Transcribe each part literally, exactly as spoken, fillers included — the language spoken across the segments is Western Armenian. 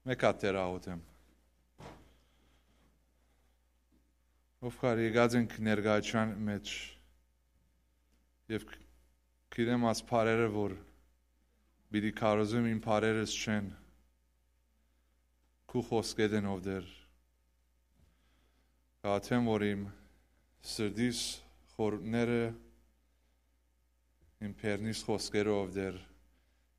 Մէկ հատ Տէր աղօթեմ։ Ով կար եկած ենք ներկայության մեջ, եւ գիտեմ այս բարերը, որ պիտի քարոզեմ, իմ բարերս չեն, քու խոսքերն են, ով Տէր։ Կաթեմ, որ իմ սրտիս խորհուրդները, իմ բերնիս խոսքերը, ով Տէր,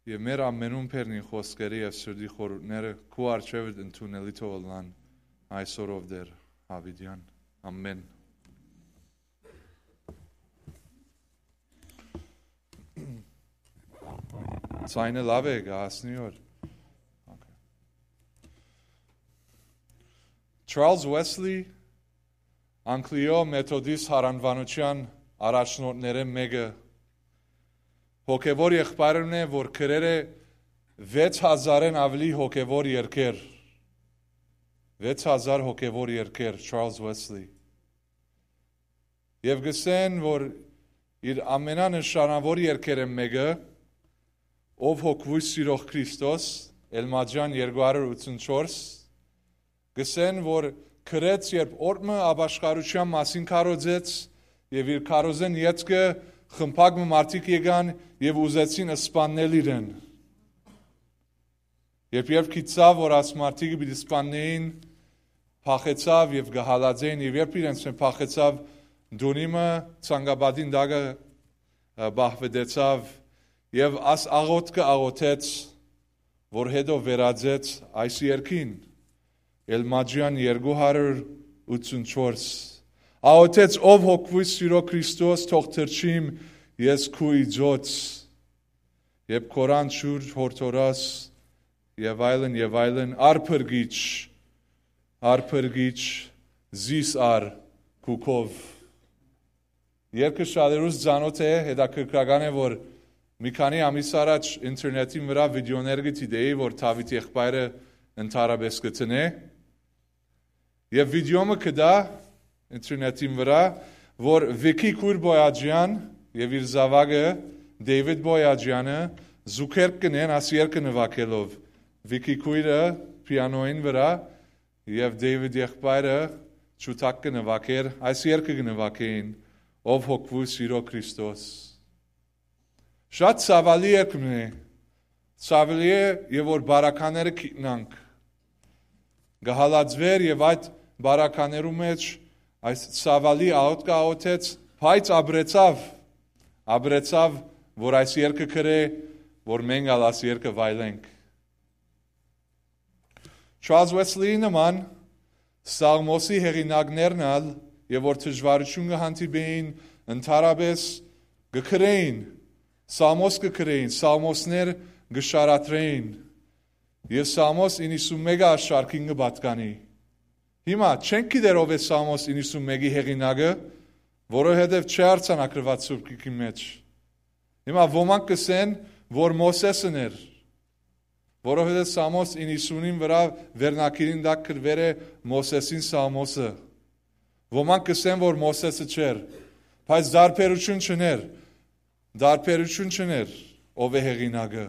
եւ մեր ամենուն բերնին խոսքերը եւ սրտի խորհուրդները քու առջեւդ ընդունելի թող ըլլան այսօր, ով Տէր, Յաւիտեան։ Ամեն։ Ձայնը լաւ է, կը հասնի օր։ Okay. Չարլզ Ուեսլի, Անգլիոյ Մեթոդիստ յարանուանութեան առաջնորդներէն մէկը, հոգեւոր եղբայրն է, որ գրեր է վեց հազարէն աւելի հոգեւոր երկեր։ Վեց հազար հոգեւոր երկեր, Չարլզ Ուեսլի։ Եւ կ'ըսեն, որ իր ամենանշանաւոր երկերէն մէկը, Ով հոգ Սիրող Քրիստոս, Էլմաջան երկու հարիւր ութսունչորս, կ'ըսեն, որ գրեց, երբ օրդ մը ապաշխարութեան մասին քարոզեց, եւ իր քարոզէն ետքը խմբակ մը մարդիկ եկան եւ ուզեցին սպաննել իրեն։ Երբ, երբ գիտցաւ, որ այս մարդիկը պիտի սպաննէին, փախեցաւ եւ կը հալածէին, եւ երբ իրենց մէ փախեցաւ, տունի մը ցանկապատին տակը, ը, պահպանեցաւ, եւ աս աղօթքը աղօթեց, որ հետո վերածեց այս երկին, Էլմաջան երկու հարիւր ութսունչորս։ Աղօթեց, Ով հոգ Սիրող Քրիստոս, թող թռչիմ ես քու իծոց, երբ քորան ջուր յորդորաս, եւ այլն, եւ այլն, արփրկիչ, արփրկիչ, զիս առ քու քով։ Երկը շատերուս ծանօթ է, հետաքրքրական է, որ մի քանի ամիս առաջ ինտերնետին վրայ վիդեոներ կը դիտէի, որ Դաւիթ եղբայրը ընդհանրապէս կը դնէ։ Եւ վիդեոմը կը տայ ինտերնետին վրայ, որ Վիքի քոյր Բոյաջեան եւ իր զաւակը Դեյվիդ Բոյաջեանը զուգերգ կ'ընեն աս երկը նուագելով։ Վիքի քոյրը պիանոյին վրայ եւ Դեյվիդ եղբայրը ջութակ կը նուագէր, այս երկը կը նուագէին, Ով հոգ Սիրող Քրիստոս։ Շատ ցաւալի երկն է, ցաւալի է, եւ որ բարակաները գիտնանք, կը հալածուէր, եւ այդ բարականերու մէջ այս ցաւալի աղօթքը աղօթեց, բայց ապրեցաւ, ապրեցաւ, որ այս երկը գրէ, որ մենք ալ այս երկը վայելենք։ Չարլզ Ուեսլիի նման Սաղմոսի հեղինակներն ալ, եւ որ դժուարութիւն կը հանդիպէին, ընդհանրապէս կը գրէին, Սաղմոս կը գրէին, Սաղմոսներ կը շարադրէին, եւ Սաղմոս իննսունմէկը աշարքին կը պատկանի։ Հիմա չենք գիտեր ով է Սաղմոս իննսունմէկի հեղինակը, որովհետեւ չի արձանագրուած Սուրբ Գիրքին մէջ։ Հիմա ոմանք կ'ըսեն, որ Մովսէսն էր, որովհետեւ Սաղմոս իննսունին վրայ վերնագիրին տակ գրուեր է Մովսէսին Սաղմոսը։ Ոմանք կ'ըսեն, որ Մովսէսը չէր, բայց տարբերութիւն չ'ընէր, տարբերութիւն չ'ընէր, ով է հեղինակը։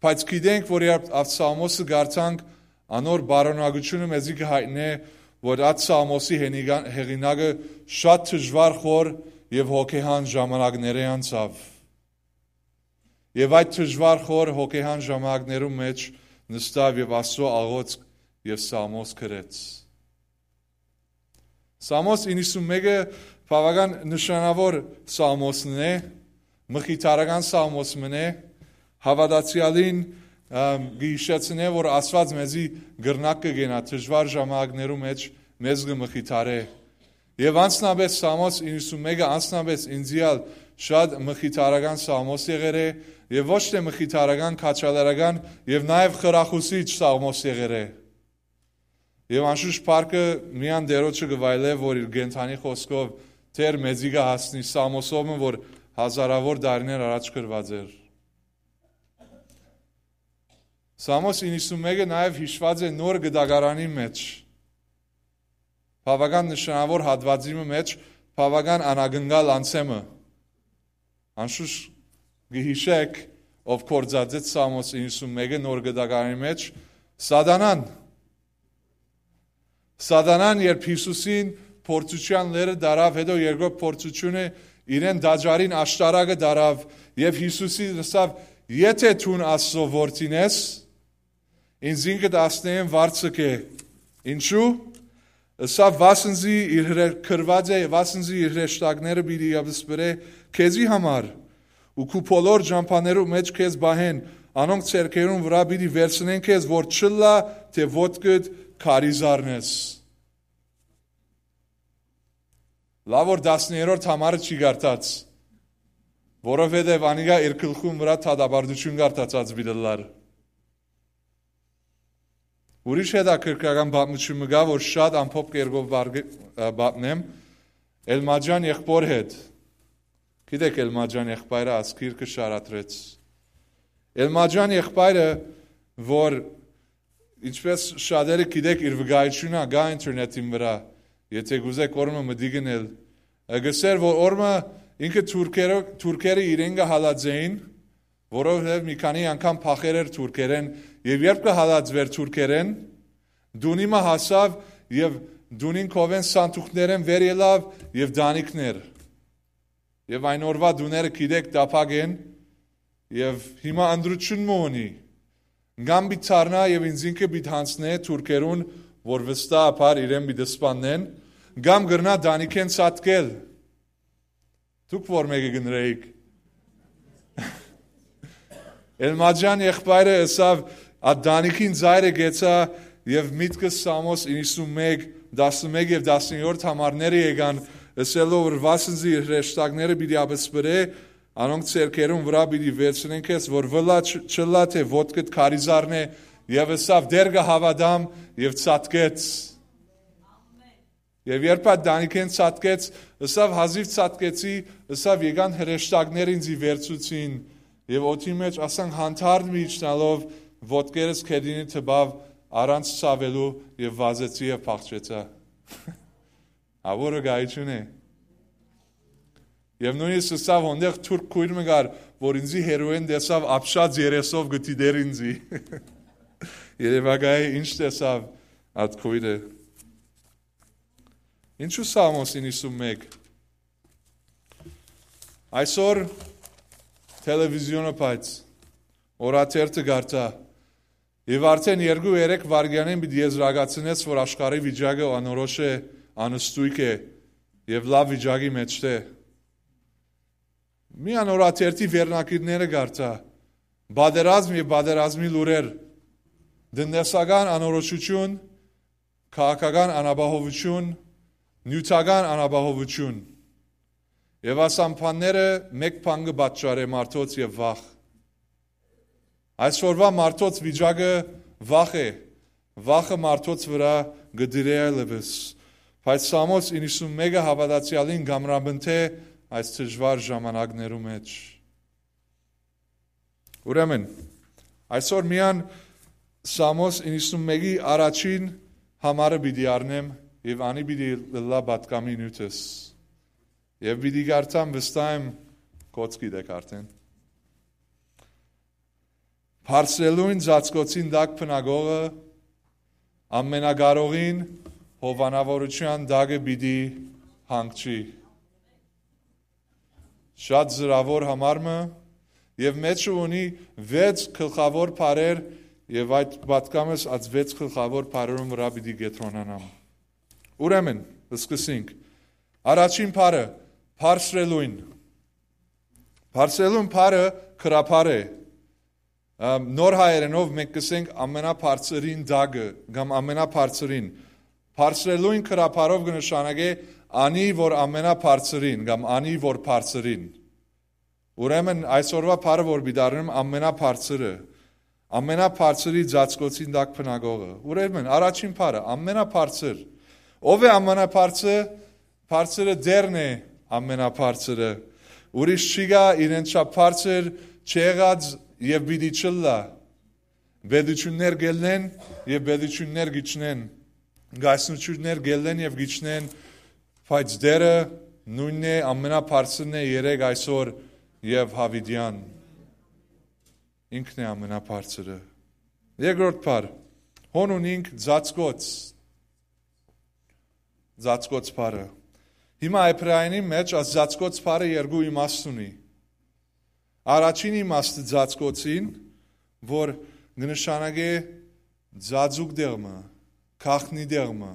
Բայց գիտենք, որ երբ այդ Սաղմոսը կարդանք, անոր պարունակութիւնը մեզի կը յայտնէ, որ այդ Սաղմոսի հենիգա-, հեղինակը շատ դժուար, խոր եւ հոգեհան ժամանակներէ անցաւ։ Եւ այդ դժուար, խոր հոգեհան ժամանակներու մէջ նստաւ եւ Աստծոյ աղօթք եւ Սաղմոս գրեց։ Սաղմոս իննսունմէկը բաւական նշանաւոր Սաղմոսն է, մխիթարական Սաղմոս մըն է, հաւատացեալին, ըմ, կը յիշեցնէ, որ Աստուած մեզի կրնակ կը կենայ դժուար ժամանակներու մէջ, մեզ կը մխիթարէ։ Եւ անձնապէս Սաղմոս իննսունմէկը անձնապէս ինծի ալ շատ մխիթարական Սաղմոս եղեր է, եւ ոչ թէ մխիթարական, քաջալերական, եւ նաեւ խրախուսիչ Սաղմոս եղեր է։ Եւ անշուշտ փառքը միայն Տէրոջը կը վայելէ, որ իր կենդանի խօսքով Տէր մեզի կը հասնի Սաղմոսով մը, որ հազարաւոր տարիներ առաջ գրուած էր։ Սաղմոս իննսունմէկը նաեւ յիշուած է Նոր Գտակարանի մէջ, բաւական նշանաւոր հատուածի մը մէջ, բաւական անակնկալ անցեմը։ Անշուշտ կը յիշէք, ով գործածեց Սաղմոս իննսունմէկը Նոր Գտակարանի մէջ, Սատանան։ Սատանան, երբ Յիսուսին փորձութեան լեռը տարաւ, հետո երկրորդ փորձութիւնը իրեն տաճարին աշտարակը տարաւ, եւ Յիսուսին ըսաւ. «Եթէ դուն Աստծո որդին ես, ինծինքդ ասնէն վարձ կէ»։ Ինչու՞։ Ըսաւ. «Վասն զի իր հրե-, գրուած է, վասն զի իր հրեշտակները պիտի յապսպրէ քեզի համար, ու քու բոլոր ճամբաներու մէջ քեզ պահեն, անոնք ձեռքերուն վրայ պիտի վերցնեն քեզ, որ չըլլայ թէ ոտքդ քարի զարնես»։ Լաւ որ տասներորդ համարը չի կարդաց, որովհետեւ անիկա իր գլխուն վրայ դատապարտութիւն կարդացած պիտի ըլլար։ Ուրիշ հետաքրքրական պատմութիւն մը կայ, որ շատ ամփոփ կերպով բարգ-, ը, պատմեմ, Էլմաջան եղբոր հետ։ Գիտեք, Էլմաջան եղբայրը ազգիրքը շարադրեց։ Էլմաջան եղբայրը, որ, ինչպես շատերը գիտեք, իր վկայութիւնը կայ ինտերնետին վրայ, եթէ կուզէք օրը մը մտիկ ընել, ը, գսեր, որ օրը մը ինքը թուրքերը, թուրքերը իրեն կը հալածէին, որովհետեւ մի քանի անգամ փախեր էր թուրքերէն, եւ երբ կը հալածուէր թուրքերէն, տունի մը հասաւ եւ տունին քովէն սանդուղքներէն վեր ելաւ եւ տանիքն էր։ Եւ այն օրուայ տուները, գիտեք, տափակ են, եւ հիմա ընտրութիւն մը ունի. կամ պիտի դառնայ եւ ինքզինքը պիտի յանձնէ թուրքերուն, որ վստահաբար իրեն պիտի սպաննեն, կամ կրնայ տանիքէն ցատկել։ Դուք որ մէկը կ'ընտրէիք։ Էլմաջան եղբայրը ըսաւ. «Ա տանիքին ծայրը կեցայ եւ միտքս Սամոս իննսունմէկ, տասնմէկ եւ տասներորդ համարները եկան, ըսելով որ վասն զի իր հրեշտակները պիտի յապսպրէ, անոնք ձեռքերուն վրայ պիտի վերցնեն քեզ, որ վլա չ-, չըլլայ թէ ոտքդ քարի զարնէ»։ Եւ ըսաւ. «Տէր կը հաւատամ», եւ ցատկեց։ Եւ երբ այդ տանիքէն ցատկեց, ըսաւ. «Հազիւ ցատկեցի», ըսաւ, «եկան հրեշտակներ ինծի վերցուցին, եւ օդի մէջ, ասենք, հանդարտ մը իջնալով, ոտքերս գետինը տպաւ առանց ցաւելու, եւ վազեցի եւ փախչեցայ»։ Ա, որը գայություն է։ Եւ նոյնիսկ ըսաւ. «Հոնդեղ թուրք քոյր մը կար, որ ինծի հեռուէն տեսաւ, ապշած երեսով կը դիտէր ինծի»։ Երեւակայ ինչ տեսաւ այդ քոյրը։ Ինչու Սամոս իննսունմէկ։ Այսօր թելեվիզիոնը, բայց օրաթերթը կարդայ, եւ արդէն երկու երեք վայրկեանին պիտի եզրակացնես, որ աշխարհի վիճակը անորոշ է, անըստուիկ է, եւ լաւ վիճակի մէջ չէ։ Միան օրաթերթի վերնագիրները կարդայ. պատերազմ եւ պատերազմի լուրեր, տնտեսական անորոշութիւն, քաղաքական անապահովութիւն, նիւթական անապահովութիւն։ Եւ այս ամբանները մէկ բան կը պատճառէ մարդոց եւ վախ։ Այսօրուայ մարդոց վիճակը վախ է, վախը մարդոց վրայ կը դիրէ այլեւս։ Բայց Սամոս իննսունմէկը հաւատացեալին կ'ամրապնդէ այս դժուար ժամանակներու մէջ։ Ուրեմն, այսօր միան Սամոս իննսունմէկի առաջին համարը պիտի առնեմ եւ անի պիտի ըլլայ պատգամի նիւթս։ Եւ պիտի կարդամ, վստահ եմ, կոչ գիտեք արդէն։ Բարձրելուն ծածկոցին տակ բնակողը Ամենակարողին հովանաւորութեան տակը պիտի հանգչի։ Շատ զրաւոր համար մը, եւ մէջը ունի վեց գլխաւոր բառեր, եւ այդ պատգամս այդ վեց գլխաւոր բառերուն վրայ պիտի կեդրոնանամ։ Ուրեմն, սկսենք։ Առաջին բառը, բարձրելուն։ Բարձրելուն բառը գրաբար է։ Ամ, նոր հայերենով մենք կսենք ամենաբարձրին տակը կամ ամենաբարձրին։ Բարձրելուն գրաբարով կը նշանակե անի, որ ամենաբարձրին կամ անի, որ բարձրին։ Ուրեմն այսօրվա բառը, որ պիտի առնեմ, ամենաբարձրը, ամենաբարձրի ծածկոցին տակ բնակողը։ Ուրեմն առաջին բառը, ամենաբարձր։ Ո՞վ է ամենաբարձր։ Բարձրը Տէրն է, ամենաբարձրը։ Ուրիշ չի գա իրեն չափ բարձր, չեղած եւ պիտի չըլլայ։ Պետութիւններ կ'ելլեն եւ պետութիւններ կ'իջնեն, կայսրութիւններ կ'ելլեն եւ կ'իջնեն, բայց Տէրը նոյնն է, ամենաբարձրն է երեկ, այսօր եւ յաւիտեան։ Ինքն է ամենաբարձրը։ Երկրորդ բառ, Հոն ունինք ծածկոց։ Ծածկոց բառը։ Հիմա Էբրայերէնի մէջ այս ծածկոց բառը երկու իմաստ ունի։ Առաջին իմաստը ծածկոցին, որ կը նշանակէ ծածուկ տեղ մը, գաղտնի տեղ մը,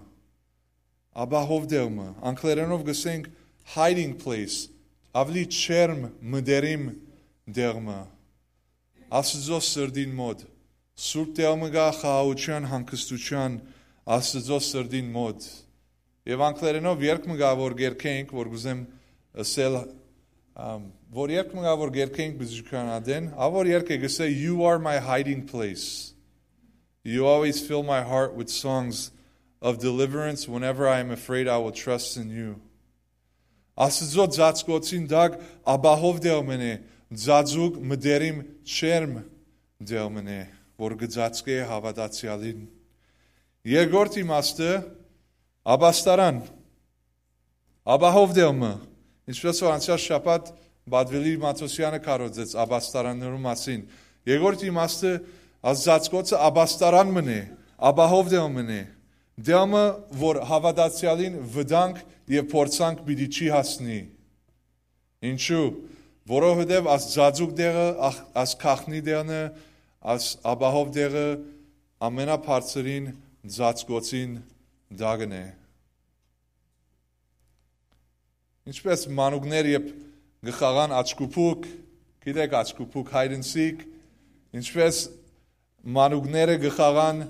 ապահով տեղ մը, անգլերէնով կ'ըսենք hiding place, աւելի ջերմ, մտերիմ տեղ մը, Աստուծոյ սրտին մօտ, սուրբ տեղ մը կայ խաղաղութեան, հանգստութեան, Աստուծոյ սրտին մօտ։ Եւ անգլերէնով երգ մը կայ, որ կերգենք, որ կ'ուզեմ ըսել, ամ, որ երգ մը կայ, որ կերգենք բժշկական ատեն, ա որ երգ է, կ'ըսէ, "You are my hiding place. You always fill my heart with songs of deliverance. Whenever I am afraid, I will trust in you." Աստուծոյ ծածկոցին տակ ապահով տեղ մը է, ծածուկ, մտերիմ, ջերմ տեղ մը է, որ կը ծածկէ հաւատացեալին։ Երկրորդ իմաստը, ապաստարան, ապահով տեղ մը, ինչպես որ անցեալ շաբաթ Բադվելի Մաթոսեանը քարոզեց ապաստարաններու մասին։ Երկրորդ իմաստը, այս ծածկոցը ապաստարան մը է, ապահով տեղ մը է, տեղ մը, որ հաւատացեալին վտանգ եւ փորձանք պիտի չի հասնի։ Ինչու՞։ Որովհետեւ այս ծածուկ տեղը, ախ-, այս գաղտնի տեղն է, այս ապահով տեղը ամենաբարձրին ծածկոցին տակն է։ Ինչպես մանուկներ երբ կը խաղան աչքուփուկ, գիտեք, աչքուփուկ, hide and seek, ինչպես մանուկները կը խաղան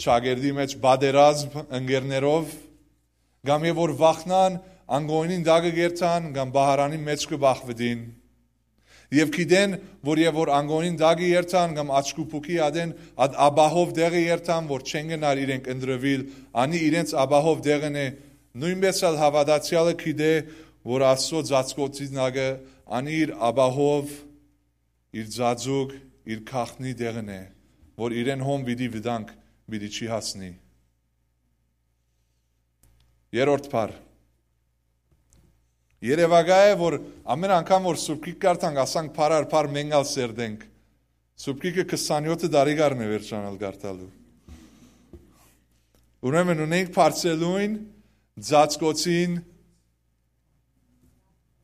ճակերտի մէջ պատերազմ ընկերներով, կամ եւ որ վախնան, անգոյնին տակը կերթան, կամ պահարանին մէջ կը բախուին։ Եւ գիտեն, որ եւ որ անգոյնին տակը երթան, կամ աչքուփուկի ատեն, այդ ապահով տեղը երթան, որ չեն գնար իրենք ընտրուիլ, անի իրենց ապահով տեղն է, նոյնպէս ալ հաւատացեալը գիտէ, որ Աստուծոյ ծածկոցին տակը անի իր ապահով, իր ծածուկ, իր գաղտնի տեղն է, որ իրեն հոն պիտի վտանգ պիտի չի հասնի։ Երրորդ բառ։ Երեւակայ է, որ ամեն անգամ որ Սուրբ Գիրք կարդանք, ասանք, բառ առ բառ մենք ալ սերտենք։ Սուրբ Գիրքը քսանեօթ տարի կ'առնէ վերջանալ կարդալու։ Ուրեմն ունենք բարձրելուն, ծածկոցին,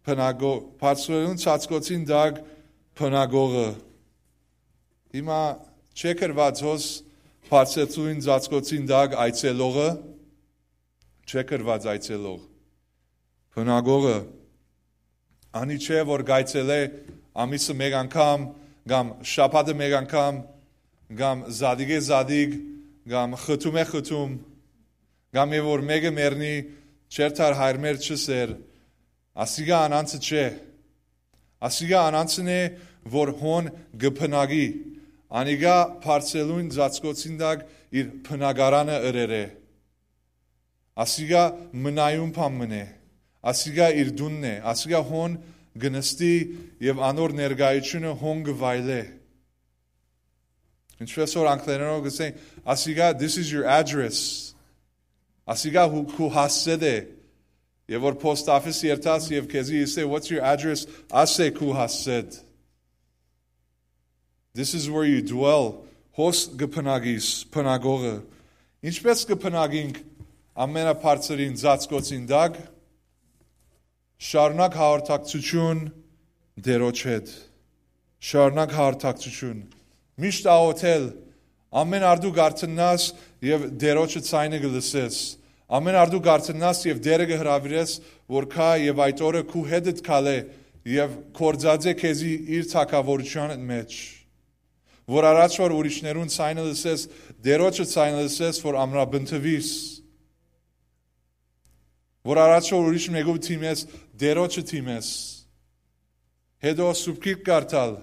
բնակո-, բարձրելուն, ծածկոցին տակ բնակողը։ Հիմա չէ գրված հոս բարձրելուն, ծածկոցին տակ այցելողը, չէ գրված այցելող, բնակողը, անի չէ որ կայցելէ ամիսը մէկ անգամ, կամ շաբաթը մէկ անգամ, կամ զատիկէ զատիկ, կամ խթումէ խթում, կամ եւ որ մէկը մեռնի, չերթար հայր մեր չսեր, ասիկա անանցը չէ։ Ասիկա անանցն է, որ հոն կը բնակի, անիկա բարձրելուն ծածկոցին տակ իր բնակարանը ըրեր է։ Ասիկա մնայուն բան մն է, ասիկա իր տունն է, ասիկա հոն կը նստի եւ անոր ներկայությունը հոն կը վայելէ։ Ինչպես որ անգլերենով կ'ըսեն, ասիկա, "This is your address." Ասիկա հու-, քու հասցեդ է։ Եւ որ post office երթաս եւ քեզի ըսէ, "What's your address?" ասէ, "Քու հասցեդ." This is where you dwell. Հոս կը բնակիս, բնակողը։ Ինչպես կը բնակինք ամենաբարձրին ծածկոցին տակ, շարունակ հաղորդակցություն Տերոջ հետ։ Շարունակ հաղորդակցություն։ Միշտ աղոթել, ամեն արտու կարթննաս եւ Տերոջը ցայնը կը լսես։ Ամեն արտու կարթննաս եւ Տերը կը հրավիրես, որ քայ եւ այդ օրը քու հետդ քալէ եւ կործածէ քեզի իր թագաւորութեան մեջ։ Որ առաջ որ ուրիշներուն ցայնը լսես, Տերոջը ցայնը լսես, որ ամրապնդվիս։ Որ առաջ որ ուրիշ մեկու դիմես, Տերոջը դիմես։ Հետո Սուրբ Գիրք կարդալ,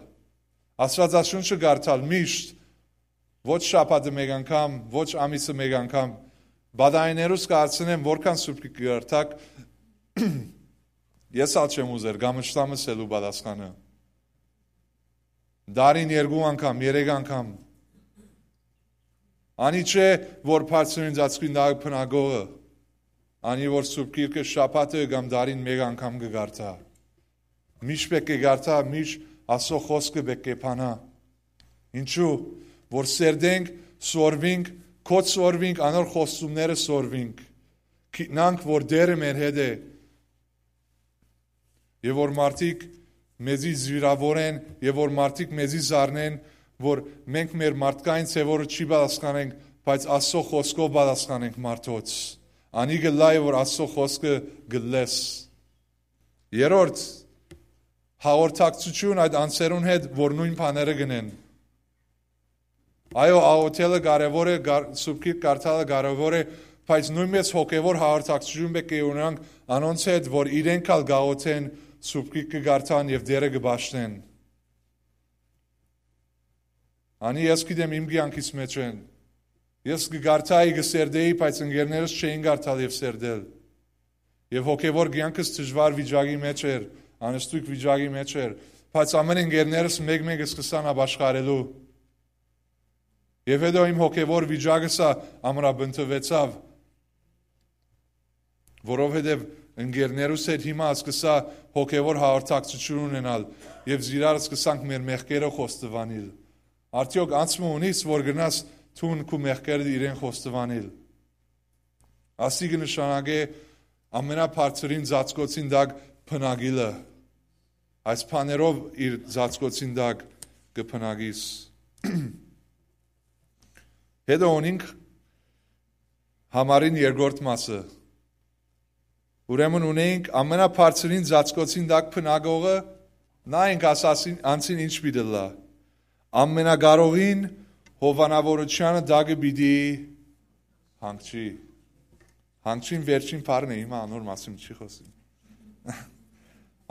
Աստվածաշունչը կարդալ միշտ, ոչ շաբաթը մէկ անգամ, ոչ ամիսը մէկ անգամ։ Բադայիներուս կ'արցնեմ, որքան Սուրբ Գիրք կարդաք, ես ալ չեմ ուզեր, կամ ըշտամս ելու պատասխանը։ Դարին երկու անգամ, երեք անգամ։ Անի չէ, որ բարձրին ծածկին տակ բնակողը, անի որ Սուրբ Գիրքը շաբաթը կամ դարին մէկ անգամ կը կարդա։ Միշտ պէտք է կարդա, միշտ Աստուծոյ խօսքը պէտք է բանա։ Ինչու՞, որ սերտենք, սորվինք, քոչ սորվինք, անոր խոստումները սորվինք, գիտնանք որ Տէրը մեր հետ է, եւ որ մարդիկ մեզի զինվորեն, եւ որ մարդիկ մեզի զարնեն, որ մենք մեր մարդկային ձեւորը չի պատասխանենք, բայց Աստծո խօսքով պատասխանենք մարդոց։ Անի կ'ըլլայ որ Աստծո խօսքը կ'ըլլես։ Երրորդ, հաղորդակցութիւն այդ անձերուն հետ, որ նոյն բաները կ'ընեն։ Այո, աղօթելը կարեւոր է, գար-, Սուրբ Գիրք կարդալը կարեւոր է, բայց նոյնպէս հոգեւոր հաղորդակցութիւն պէտք է ունենանք անոնց հետ, որ իրենք ալ կ'աղօթեն, Սուրբ Գիրքը կարդան եւ Տէրը կը պաշտեն։ Անի ես գիտեմ իմ կեանքիս մէջ են։ Ես կը կարդայի, կը սերտեի, բայց ընկերներս չէին կարդալ եւ սերտել։ Եւ հոգեւոր կեանքս դժուար վիճակի մէջ էր, անստույգ վիճակի մէջ էր, բայց ամէն ընկերներս մէկ-մէկ սկսան ապաշխարելու։ Եւ հետո իմ հոգեւոր վիճակս ա ամրապնդուեցաւ, որովհետեւ ընկերներուս հետ հիմա սկսա հոգեւոր հաղորդակցութիւն ունենալ եւ զիրար սկսանք մեր մեղքերը խոստովանիլ։ Արդեօք անցմը ունիս որ գնաս թուն քու մեղքերը իրեն խոստովանիլ։ Ասի կը նշանակէ ամենաբարձրին ծածկոցին տակ բնակիլը։ Այս բաներով իր ծածկոցին տակ կը բնակիս։ Հետո ունինք համարին երկրորդ մասը։ Ուրեմն ունենք ամենաբարձրին ծածկոցին տակ բնակողը, նայենք ասասին, անցին ինչ պիտի լա։ Ամենակարողին հովանավորութեանը տակը պիտի հանգչի։ Հանգչին վերջին բառն է, հիմա անոր մասին չի խոսում։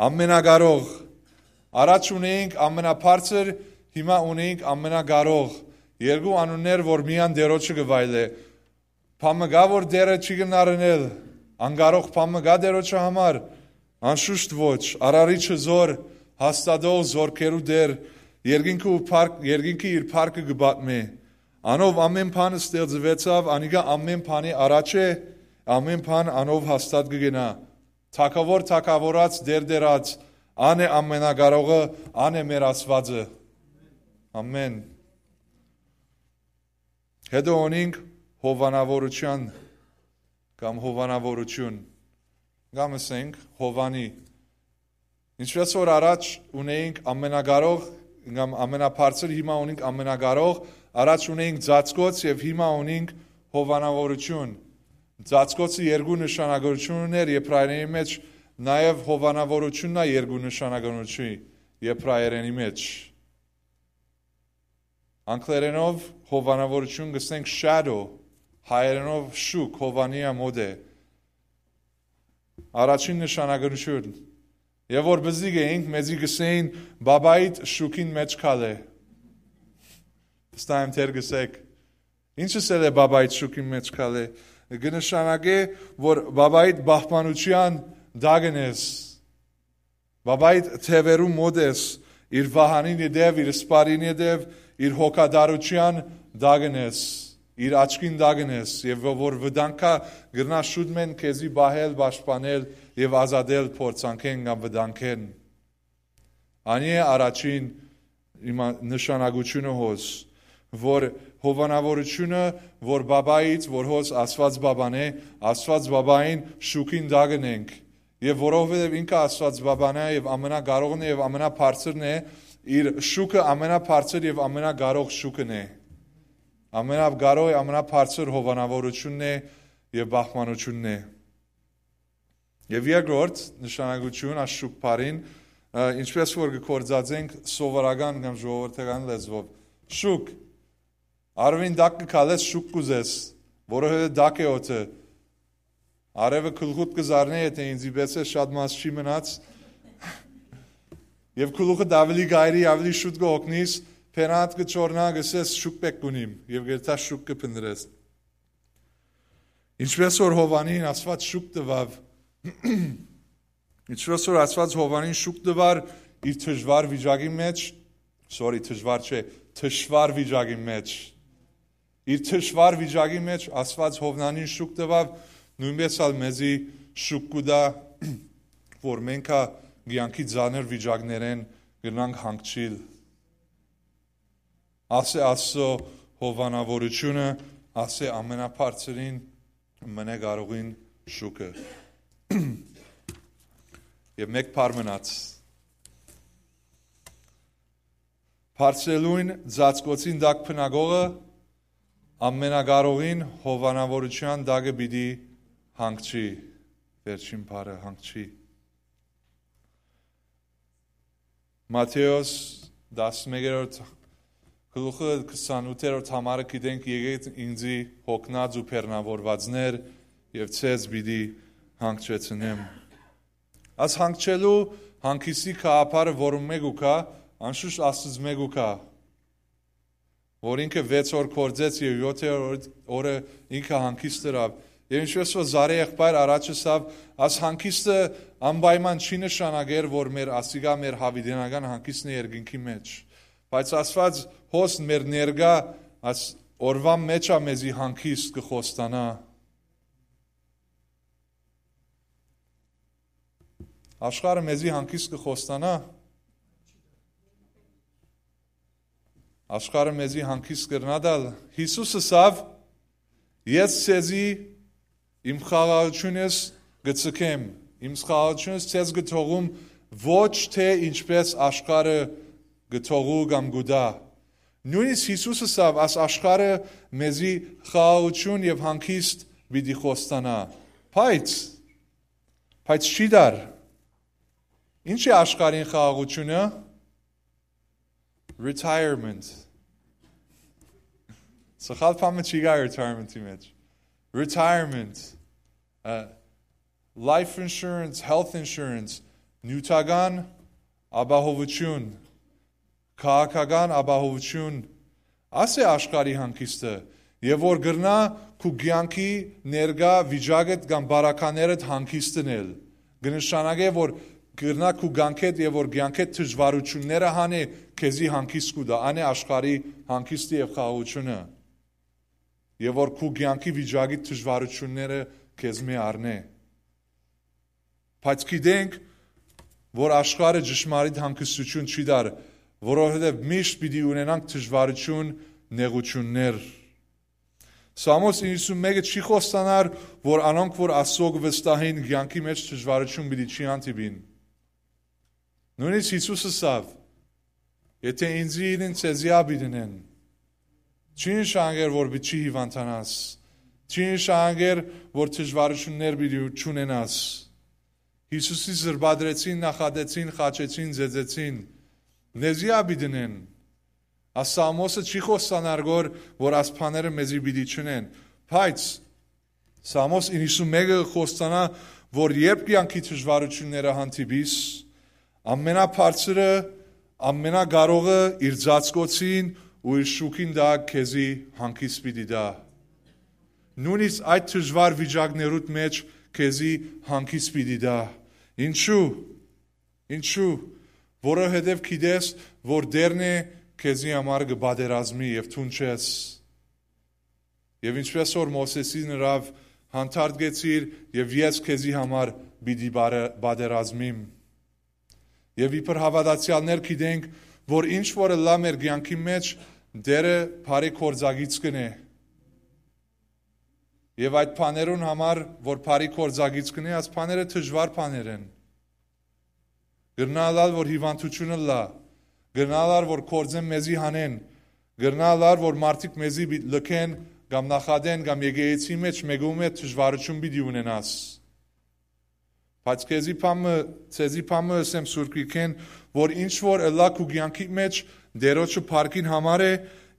Ամենակարող։ Առաջ ունենք ամենաբարձր, հիմա ունենք ամենակարող։ Երկու անուններ, որ միան Տերոջը կը վայելէ։ Բան մը կա, որ Տերը չի կրնար ընել, անկարող բան մը կա Տերոջը համար, անշուշտ ոչ, արարիչը զոր, հաստատող զորքերու Տեր, երկինքը ու փառք-, երկինքը իր փառքը կը պատմէ։ Անով ամէն բան ստեղծուեցաւ, անիկա ամէն բանի առաջ է, ամէն բան անով հաստատ կը գնայ։ Թագաւոր թագաւորաց, Տեր Տերաց, ան է ամենակարողը, ան է մեր Աստուածը։ Ամէն։ Հետո ունինք հովանավորութեան կամ հովանավորութիւն, կամ ըսենք հովանի։ Ինչպես որ առաջ ունեինք ամենակարող կամ ամենաբարձր, հիմա ունինք ամենակարող, առաջ ունեինք ծածկոց եւ հիմա ունինք հովանավորութիւն։ Ծածկոցը երկու նշանակութիւն ուներ եբրայերենի մէջ, նաեւ հովանավորութիւնն ա երկու նշանակութիւն եբրայերենի մէջ։ Անգլերենով հովանավորութիւն կ'ըսենք shadow, հայերենով շուք, հովանիա մօտ է։ Առաջին նշանակութիւն։ Եւ որ բզիկ էինք, մեզի կ'ըսէին, «Բաբայիդ շուքին մէջ քալէ»։ Վստահ եմ, թեր կ'ըսեք։ Ինչ ըսել է «Բաբայիդ շուքին մէջ քալէ»։ Կը նշանակէ, որ բաբայիդ պահպանութեան տակն ես։ Բաբայիդ թեւերու մօտ ես, իր վահանին ետեւ, իր սպարին ետեւ, իր հոգատարութեան տակն ես, իր աչքին տակն ես, եւ ո-, որ վտանգ կայ, կրնայ շուտ մեն քեզի պահել, պաշտպանել եւ ազատել փորձանքէն կամ վտանգէն։ Անի է առաջին իմա-, նշանակութիւնը հոս, որ հովանավորութիւնը, որ բաբայից, որ հոս Աստուած բաբան է, Աստուած բաբային շուքին տակն ենք, եւ որովհետեւ ինքը Աստուած բաբան է եւ ամենակարողն է եւ ամենաբարձրն է, իր շուքը ամենաբարձր եւ ամենակարող շուքն է։ Ամենակարող, ամենաբարձր հովանավորութիւնն է եւ պահպանութիւնն է։ Եւ երկրորդ նշանակութիւն, այս շուք բառին, ը, ինչպես որ կը գործածենք սովորական կամ ժողովրդական լեզուով։ Շուք, արուին տակ կը քալես, շուք կ'ուզես, որովհետեւ տակ է օդը։ Արեւը գլխուդ կը զարնէ, եթէ ինձի պէս է, շատ մաս չի մնաց։ Եւ գլուխդ աւելի գայրի, աւելի շուտ կը հոգնիս, փենատ կը չորնայ, կ'ըսես, «Շուք պէտք կ'ունիմ», եւ գերտա շուք կը փնտրես։ Ինչպես որ Հովանին Աստուած շուք տուաւ, ինչպես որ Աստուած Հովանին շուք տուար իր դժուար վիճակի մեջ, sorry, դժուար չէ, թշվառ վիճակի մեջ, իր թշվառ վիճակի մեջ Աստուած Հովանին շուք տուաւ, նոյնպէս ալ մեզի շուք կու տայ, որ մենք ա կեանքի ծանր վիճակներէն կրնանք հանգչիլ։ Ասէ Աստծո հովանավորութիւնը ասէ Ամենաբարձրին, Ամենակարողին շուքը։ Եւ մէկ բառ մնաց. Բարձրելուն ծածկոցին տակ բնակողը Ամենակարողին հովանաւորութեան տակը պիտի հանգչի։ Վերջին բառը՝ հանգչի։ Մատթէոս տասնմեկերորդ գլուխը քսանութերորդ համարը գիտենք. «Եկէք ինծի, յոգնած ու բեռնաւորուածներ, եւ ձեզ պիտի հանգչեցնեմ»։ Աս հանգչելու հանգիստի գաղափարը որուն մէկ ու կայ, անշուշտ Աստուծմէ կայ, որ ինքը վեց օր գործեց եւ եօթերորդ օրը ինքը հանգիստ ըրաւ։ Եւ ինչպես որ Զարէ եղբայր առաջ ըսաւ, աս հանգիստը անպայման չի նշանակեր, որ մեր ասիկա մեր յաւիտենական հանգիստն է երկնքի մէջ, բայց Աստուած հոս մեր ներկայ աս օրուան մէջ ա մեզի հանգիստ կը խոստանայ։ Աշխարհը մեզի հանգիստ կը խոստանայ։ Աշխարհը մեզի հանգիստ կրնայ տալ։ Յիսուս ըսաւ. «Ես ձեզի իմ խաղաղութիւնս կը ձգեմ, իմ խաղաղութիւնս ձեզ կը թողում, ոչ թէ ինչպես աշխարհը կը թողու կամ կու տայ»։ Նոյնիսկ Յիսուս ըսաւ. «Աս աշխարհը մեզի խաղաղութիւն եւ հանգիստ պիտի խոստանայ»։ Բայց, բայց չի տար։ Ի՞նչ է աշխարհին խաղաղութիւնը։ Retirement։ Սխալ բան մը չի գայ retirement-ի մէջ։ Retirement, life insurance, health insurance, նիւթական ապահովութիւն, քաղաքական ապահովութիւն, ասէ աշխարհի հանգիստը, եւ որ կրնայ քու կեանքի ներկայ վիճակդ կամ բարականերդ հանգիստ ընել, կը նշանակէ, որ կրնայ քու կեանքեդ եւ որ կեանքեդ դժուարութիւնները հանէ քեզի հանգիստ կու տայ, անէ աշխարհի հանգիստը եւ խաղաղութիւնը, եւ որ քու կեանքի վիճակի դժուարութիւնները քեզմէ առնէ։ Բայց գիտենք, որ աշխարհը ճշմարիտ հանգստութիւն չի տար, որովհետեւ միշտ պիտի ունենանք դժուարութիւն, նեղութիւններ։ Սաղմոս իննսունմէկը չի խոստանար, որ անոնք, որ Աստուծոյ կը վստահին, կեանքի մէջ դժուարութիւն պիտի չի հանդիպին։ Նոյնիսկ Յիսուս ըսաւ. «Եթէ ինծի իրին, ձեզի ալ պիտի ընեն»։ Չի նշանակեր, որ պիտի չի հիւանդանաս։ Չի նշանակեր, որ դժուարութիւններ պիտի չունենաս։ Յիսուսի զրպատրեցին, նախատեցին, խաչեցին, ծեծեցին։ Մեզի ալ պիտի ընեն։ Աս Սաղմոսը չի խոստանար գոր, որ աս բաները մեզի պիտի չընեն, բայց Սաղմոս իննսունմէկը կը խոստանայ, որ երբ կեանքի դժուարութիւնները հանդիպիս, Ամենաբարձրը, Ամենակարողը իր ծածկոցին ու իր շուքին տակ քեզի հանգիստ պիտի տայ։ Նոյնիսկ այդ դժուար վիճակներուդ մէջ քեզի հանգիստ պիտի տայ։ Ինչու՞։ Ինչու՞։ Որովհետեւ գիտես, որ Տէրն է քեզի համար կը պատերազմի եւ դուն չես։ Եւ ինչպես որ Մովսէսին ըրաւ, հանդարտկեցիր եւ ես քեզի համար պիտի բարը-, պատերազմիմ։ Եւ իբր հաւատացեալներ գիտենք, որ ինչ որ ըլլայ մեր կեանքի մէջ, Տէրը բարի գործակից կ'ընէ։ Եւ այդ բաներուն համար, որ բարի գործակից կ'ընէ, այս բաները դժուար բաներ են։ Կրնայ ըլլալ, որ հիւանդութիւն ըլլայ, կրնայ ըլլալ, որ գործէն մեզի հանեն, կրնայ ըլլալ, որ մարդիկ մեզի պի-, լքեն կամ նախատեն կամ եկեղեցի մէջ մէկու մէջ դժուարութիւն պիտի ունենաս։ Բայց քեզի բան մը, ձեզի բան մը ըսեմ Սուրբ Գիրքէն, որ ինչ որ ըլլայ քու կեանքի մէջ, Տէրոջը փառքին համար է,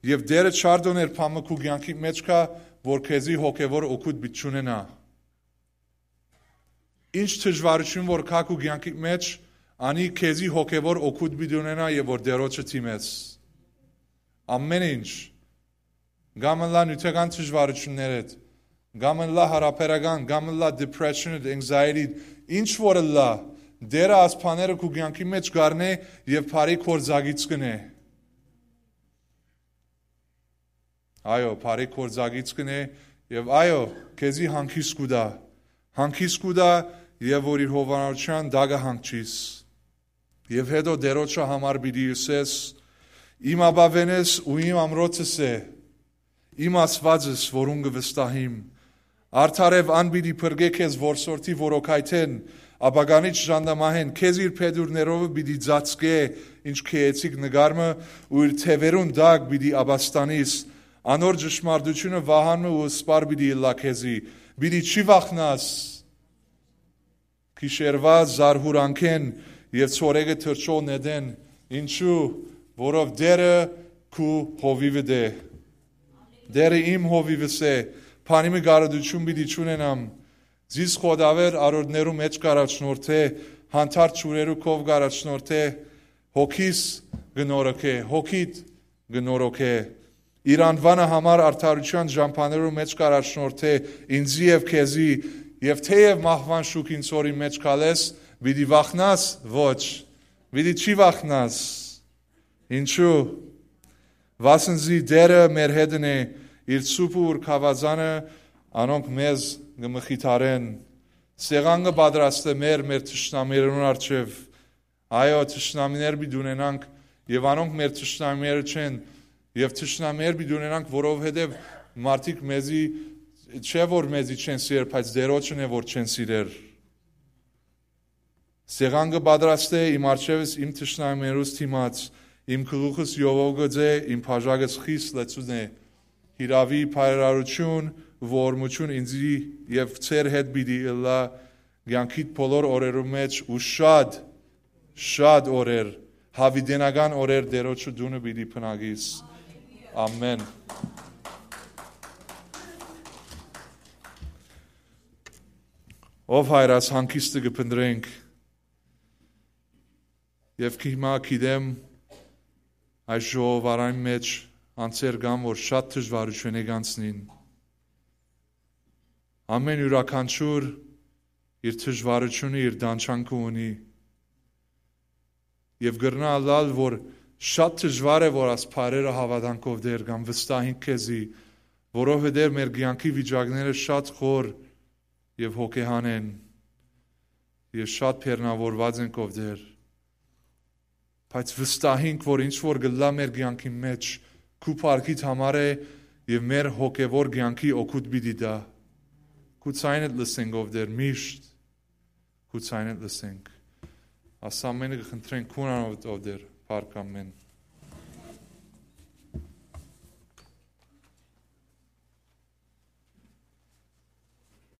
եւ Տէրը չարդոներ բան մը քու կեանքի մէջ կայ, որ քեզի հոգեվոր օգուտ պիտի չունենայ։ Ինչ դժուարութիւն որ կայ քու կեանքի մէջ, անի քեզի հոգեվոր օգուտ պիտի ունենայ եւ որ Տէրոջը դիմես։ Ամեն ինչ, կամ ըլլայ նիւթական դժուարութիւններդ, կամ ըլլայ յարաբերական, կամ ըլլայ depression, anxiety, ինչ որ ըլլայ, Տէրը այս բաները քու կեանքի մէջ կ'առնէ եւ բարի գործակից կ'ընէ։ Այո, բարի գործակից կ'ընէ եւ այո, քեզի հանգիստ կու տայ։ Հանգիստ կու տայ եւ որ իր հովանավորութեան տակը հանգչիս։ Եւ հետո Տէրոջը համար պիտի ըսես. «Իմ ապաւէնս ու իմ ամրոցս է, իմ Աստուածս, որուն կը վստահիմ։ Արդարեւ ան պիտի փրկէ քեզ որսորդի որոքայթէն, ապականիչ ժանտամահէն, քեզ իր փետուրներովը պիտի ծածկէ, ինչ քեեցիկ նկար մը, ու իր թեւերուն տակ պիտի ապաստանիս։ Անոր ճշմարտութիւնը վահան մը ու սպառ պիտի ըլլայ քեզի, պիտի չի վախնաս։ Գիշերուայ զարհուրանքէն եւ ցորեկը թռչող նետէն, ինչու, որով Տէրը քու հովիվդ է։ Տէրը իմ հովիվս է, բանի մը կարդիւթիւն պիտի չունենամ։ Զիս խոտաւեր արօրդներու մէջ կ'առաջնորդէ, հանդարտ ջուրերու քով կ'առաջնորդէ, հոգիս կը նորոգէ, հոգիդ կը նորոգէ։ Իր անուանը համար արդարութեան ճամբաներու մէջ կ'առաջնորդէ ինծի եւ քեզի, եւ թէեւ մահուան շուքին ցորի մէջ քալես, պիտի վախնաս, ոչ, պիտի չի վախնաս։ Ինչու, վասն զի Տէրը մեր հետն է, իր սուպ ու ուրքաւազանը անոնք մեզ կը մխիթարեն։ Սեղան կը պատրաստէ մեր, մեր թշնամիներուն առջեւ։ Այո, թշնամիներ պիտի ունենանք, եւ անոնք մեր թշնամիները չեն, եւ թշնամիներ պիտի ունենանք, որովհետեւ մարդիկ մեզի, չէ որ մեզի չեն սիրեր, բայց Տերոջն է որ չեն սիրեր։ Սեղան կը պատրաստէ իմ առջեւս, իմ թշնամիներուս դիմաց, իմ գլուխս յովովգած է, իմ բաժակս խիստ լեցուն է։ Հիրաւի, բարերարութիւն, ողորմութիւն ինծի եւ ձեր հետ պիտի ըլլայ կեանքիդ բոլոր օրերու մէջ ու շատ, շատ օրեր, յաւիտենական օրեր Տերոջը տունը պիտի բնակիս։ Ամէն։ Ով Հայր, աս հանգիստը կը փնտրենք, եւ հիմա գիտեմ, այս ժողովարան մէջ անձեր կան, որ շատ դժվարութիւններ կ'անցնին։ Ամէն իւրաքանչիւր իր դժվարութիւնը, իր տանջանքը ունի, եւ կրնայ ըլլալ, որ շատ դժվար է, որ աս բարերը հաւատանք, ով Տէր, կամ վստահենք քեզի, որովհետեւ մեր կեանքի վիճակները շատ խոր եւ հոգեհան են, եւ շատ բեռնաւորուած ենք, ով Տէր, բայց վստահենք, որ ինչ որ կ'ըլլայ մեր կեանքի մէջ, քու փառքիդ համար է, եւ մեր հոգեվոր կեանքի օգուտ պիտի տայ։ Քու ձայնդ լսենք, ով Տէր, միշտ քու ձայնդ լսենք։ Աս ամէնը կը խնդրենք քուն անունով, ով Տէր, փառք, ամէն։